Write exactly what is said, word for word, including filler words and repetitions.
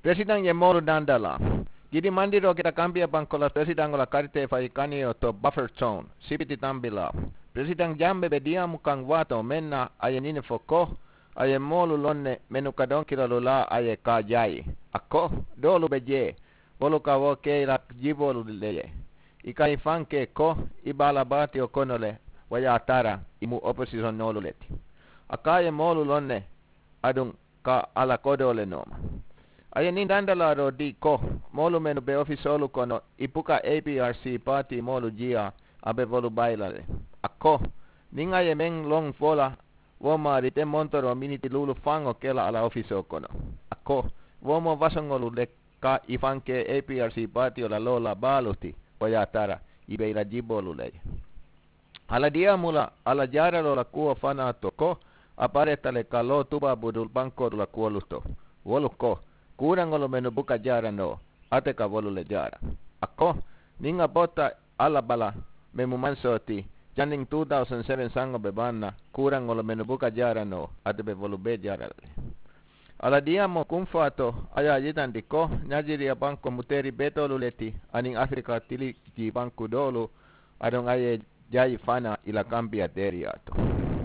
Peresidaŋ ye moolu dandalaa. Gidi mandiroo keta kambiya baŋ kola peresidaŋo la karitee fayi kaniyo to buffer zone sipiti tambilaa. Peresidaŋ jambe be diyaamu kaŋ waatoo meŋ na a ye ñini fo ko, a ye moolu loŋ ne mennu ka donkilolu laa a ye ka jayi. A ko, doolu be jee, wolu ka wo ke i la jiboolu le ye. I ka i faŋ ke ko i be a la baatiyo kono le, wo ye a tara i mu oposisonnoolu le ti. A ka a ye moolu loŋ ne aduŋ ka a la kodoo le nooma. A ye niŋ dandalaaroo dii ko, moolu mennu be ofisoolu kono i buka aprc paatii moolu jiyaa, a be wolu bayi la le. A ko, niŋ a ye meŋ loŋ fo la, wo maari te montoroo miniti luulu faŋo ke la a la ofisoo kono. A ko, wo moo fasoŋolu le ka i faŋ ke aprc paatiyo la loo la baalu ti, wo ye a tara i be i la jiboolu le ye. A la diyaamu la a la jaaraloo la kuwo fanaa to ko, a pareta le ka loo tubaabudu bankoolu la kuwolu to. Wolu ko, kuuraŋolu mennu buka jaara noo, ate ka wolu le jaara. A ko, niŋ a bota a la bala meŋ mu mansoo ti, janniŋ two thousand seven saŋo be baŋ na, kuuraŋolu mennu buka jaara noo, ate be wolu bee jaara la le. A la diyaamoo kuŋ faa to, a ye a yitandi ko, najiriya banko mu teeri betoolu le ti aniŋ afirika tili jii banku doolu, aduŋ a ye jayi fanaa i la kambiya teeriyaa to.